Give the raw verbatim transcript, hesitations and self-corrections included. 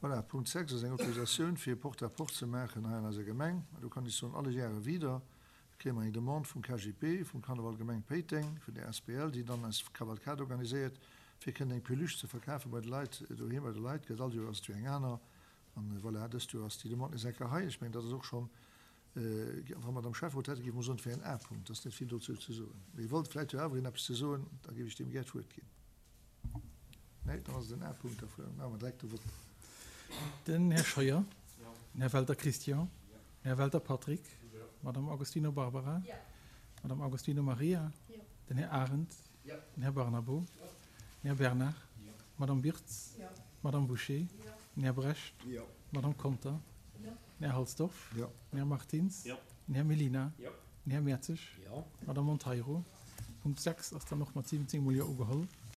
Voilà, Punkt sechs ass eng Autorisatioun, fir e Porte-à-porte ze maachen hei an eiser Gemeng. Do kann ech soen, alle Jahre wieder kréie mer eng Demande vum K G P, vum Karneval Gemeng Péiteng, vun der A S B L, déi dann eis Kavalkade organiséiert, fir kënnen eng Peluche ze verkafe bei de Leit, doheem bei de Leit. Gëtt all Joer ass et jo eng aner. An voilà, dëst Joer ass déi Demande nees eng Kéier hei. Ech mengen, dat ass och schonn, wa mer am Schäfferot hätte, géif mer soen, et wär en A-Punkt. Dat ass net vill dozou ze soen. Mee wollt vläicht jo awer een eppes ze soen, da géif ech deem gär d'Wuert ginn. Nee, dann ass et en A-Punkt, da maache mer direkt de Vote. Den Här Scheuer. Den Här Welter Christian. Den Här Welter Patrick. Madame Agostino Barbara. Madame Agostino Maria. Den Här Arendt. Den Här Barnabo. Den Här Bernard. Madame Birtz. Madame Boucher. Den Här Brecht. Madame Conter. Den Här Halsdorf. Den Här Martins. Den Här Melina. Den Här Mertzig. Madame Monteiro. Punkt sechs ass dann och mat siwwenzéng mol Jo ugeholl.